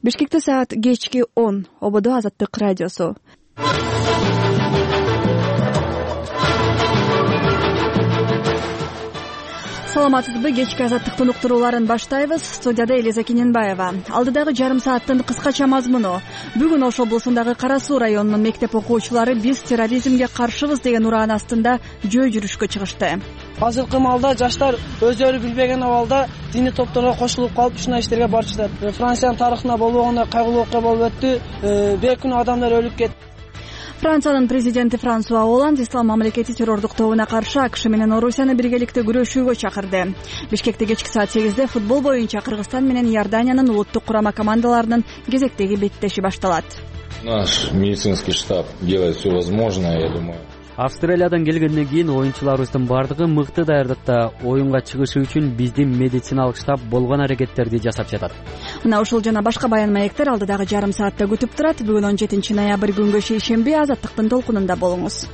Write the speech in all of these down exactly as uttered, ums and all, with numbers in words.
Бишкекте саат кечки он. Ободо Азаттык радиосу. Саламатсызбы? Кечки Азаттыктын уктурууларын баштайбыз. Студияда Элиза Кененбаева. Алдыдагы жарым сааттын кыскача мазмуну. Бүгүн Ош облусундагы Кара Суу районунун мектеп окуучулары биз терроризмге каршыбыз деген ураан астында жөө жүрүшкө чыгышты. Азыркы маалда жаштар өздөрү билбеген абалда диний топторго кошулуп калып ушундай иштерге барышат. Франциянын тарыхында болбогондой кайгылуу окуя болуп өттү. Бир күнү адамдар өлүп кетти. Франциянын президенти Франсуа Олланд ислам мамлекети террордук тобуна каршы АКШ менен Орусияны биргеликте күрөшүүгө чакырды. Бишкекте кечки саат сегизде футбол боюнча Кыргызстан менен Иорданиянын улуттук курама командаларынын кезектеги беттеши башталат. Наш медицинский штаб делает все возможное, я думаю. Австралиядан келгенден кийин оюнчуларыбыздын бардыгы мыкты даярдыкта. Оюнга чыгышы үчүн биздин медициналык штаб болгон аракеттерди жасап жатат. Мына ушул жана башка баян маектер алдыдагы жарым саатта күтүп турат. Бүгүн он жетинчи ноябрь күнгө шейшемби Азаттыктын толкунунда болуңуз.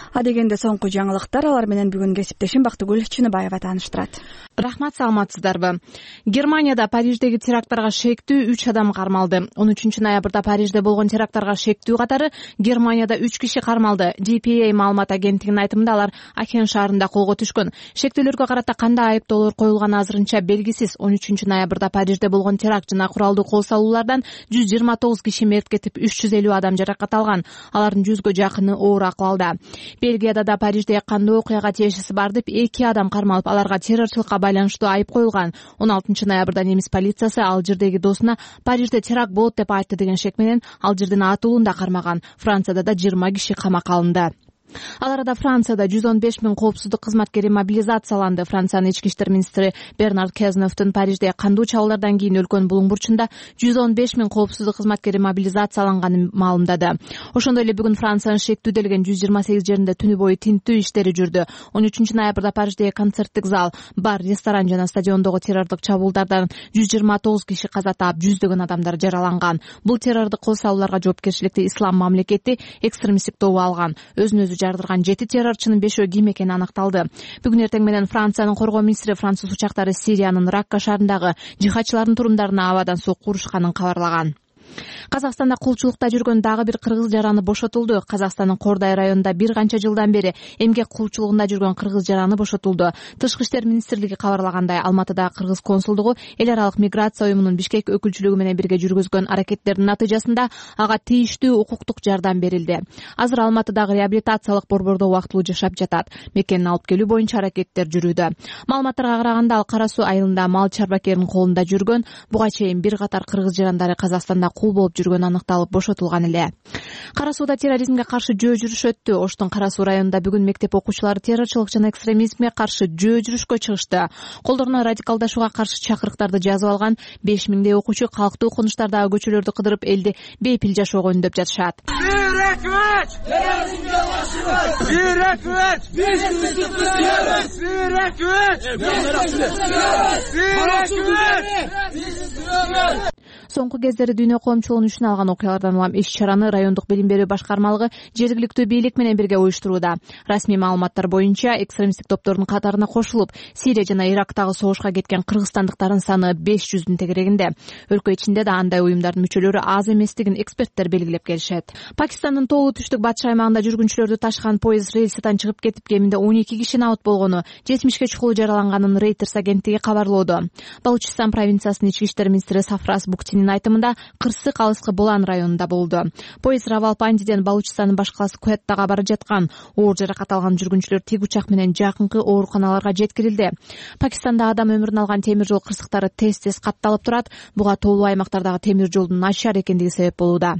Адегенде соңку жаңылыктар, алар менен бүгүн кесиптешим Бактыгүл Чыныбаева тааныштырат. Рахмат, саламатсыздарбы? Германияда Париждеги теракттарга шектүү үч адам кармалды. он үчүнчү ноябрда Парижде болгон теракттарга шектүү катары Германияда үч киши кармалды. ди пи эй маалымат агенттигинин айтымында алар Ахен шаарында колго түшкөн. Шектүүлөргө карата кандай айыптоолор коюлганы азырынча белгисиз. он үчүнчү ноябрда Парижде болгон теракт жана куралдуу кол салуулардан жүз жыйырма тогуз киши мерт кетип, үч жүз элүү адам жаракат алган. Алардын жүзгө жакыны оор акыбалда. Бельгияда да Парижде кандуу окуяга тиешеси бар деп эки адам кармалып, аларга террорчулукка байланыштуу айып коюлган. он алтынчы ноябрда немис полициясы Алжирдеги досуна Парижде теракт болот деп айтты деген шек менен Алжирдин атуулун да кармаган. Францияда да жыйырма киши камакка алынды. Ал арада Францияда жүз он беш миң коопсуздук кызматкери мобилизацияланды. Франциянын ички иштер министри Бернард Кезновдун Парижде кандуу чабуулдардан кийин өлкөнүн Булуң бурчунда жүз он беш миң коопсуздук кызматкери мобилизацияланганын маалымдады. Ошондой эле бүгүн Франциянын шектүүделген жүз жыйырма сегиз жеринде түнү бою тинтүү иштери жүрдү. он үчүнчү ноябрда Париждеги концерттик зал, бар, ресторан жана стадиондогу террордук чабуулдардан жүз жыйырма тогуз киши каза таап, жүздөгөн адамдар жараланган. Бул террордук кол салууларга жоопкерчиликти ислам мамлекети экстремисттик тобу алган. Өзүн өзү жардырган жети террорчунун бешөө ким экени аныкталды. Бүгүн эртең менен Франциянын коргоо министри француз учактары Сириянын Ракка шаарындагы жихадчылардын турумдарына абадан сокку урушканын кабарлаган. Казакстанда кулчулукта жүргөн дагы бир кыргыз жараны бошотулду. Казакстандын Кордай районунда бир канча жылдан бери эмгек кулчулугунда жүргөн кыргыз жараны бошотулду. Тышкы иштер министрлиги кабарлагандай, Алматыдагы кыргыз консулдугу эл аралык миграция уюмунун Бишкек өкүлчүлүгү менен бирге жүргүзгөн аракеттердин натыйжасында ага тийиштүү укуктук жардам берилди. Азыр Алматыдагы реабилитациялык борбордо убактылуу жашап жатат. Мекенин алып келүү боюнча аракеттер жүрүүдө. Маалыматтарга караганда, ал Кара Суу айылында мал чарбакеринин колунда жүргөн. Буга чейин бир катар кыргыз жарандары Казакстанда кул болуп жүргөнү аныкталып бошотулган эле. Кара Сууда терроризмге каршы жөө жүрүш өттү. Оштун Кара Суу районунда бүгүн мектеп окуучулары террорчулук жана экстремизмге каршы жөө жүрүшкө чыгышты. Колдоруна радикалдашууга каршы чакырыктарды жазып алган беш миңдей окуучу калктуу конуштардагы көчөлөрдү кыдырып элди бейпил жашоого үндөп жатышат. Терроризмге Соңку кездери дүйнө коомчулугунун үчүн алган окуялардан улам иш-чараны райондук билим берүү башкармалыгы жергиликтүү бийлик менен бирге уюштурууда. Расмий маалыматтар боюнча экстремисттик топтордун катарына кошулуп, Сирия жана Ирактагы согушка кеткен кыргызстандыктардын саны беш жүздүн тегерегинде. Өлкө ичинде да андай уюмдардын мүчөлөрү аз эместигин эксперттер белгилеп келишет. Пакистандын тоолуу түштүк батыш аймагында жүргүнчүлөрдү ташыган поезд рельсидан чыгып кетип, кеминде он эки киши абут болгону, жетимишке чукул жараланганын Reuters агенттиги кабарлоодо. Балучистан провинциясынын ички иштер министри Сафрас Буктинин айтымында Кырсык алыскы Булан районунда болду. Поезд Равалпиндиден Балучистандын баш калаасы Куэттага бара жаткан. Оор жаракат алган жүргүнчүлөр тик учак менен жакынкы ооруканаларга жеткирилди. Пакистанда адам өмүрүн алган темир жол кырсыктары тез-тез катталып турат. Буга тоолуу аймактардагы темир жолдун начар экендиги себеп болууда.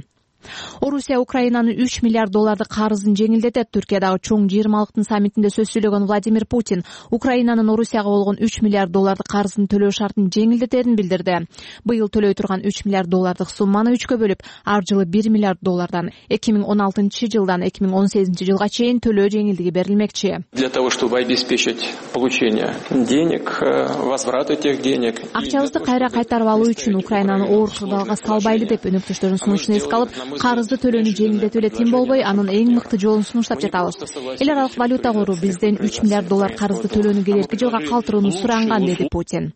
Орусия Украинанын үч миллиард долларды карызын жеңилдетет. Түркиядагы чоң жыйырмалыктын саммитинде сөз сүйлөгөн Владимир Путин Украинанын Орусияга болгон үч миллиард долларды карызын төлөө шартын жеңилдетерин билдирди. Быйыл төлөй турган үч миллиард доллардык сумманы үчкө бөлүп, ар жылы бир миллиард доллардан эки миң он алтынчы жылдан эки миң он сегизинчи жылга чейин төлөө жеңилдиги берилмекчи. Для того, чтобы обеспечить получение денег, возврат этих денег. Акчабызды кайра кайтарып алуу үчүн Украинаны оор кырдаалга салбайлы деп өнөктөштөрүнүн сунушун эске алып, карызды төлөөнү жеңилдетүү эле тим болбой, анын эң мыкты жолун сунуштап жатабыз. Эл аралык валюта кору бизден үч миллиард доллар карызды төлөөнү келерки жылга калтырууну суранган, деди Путин.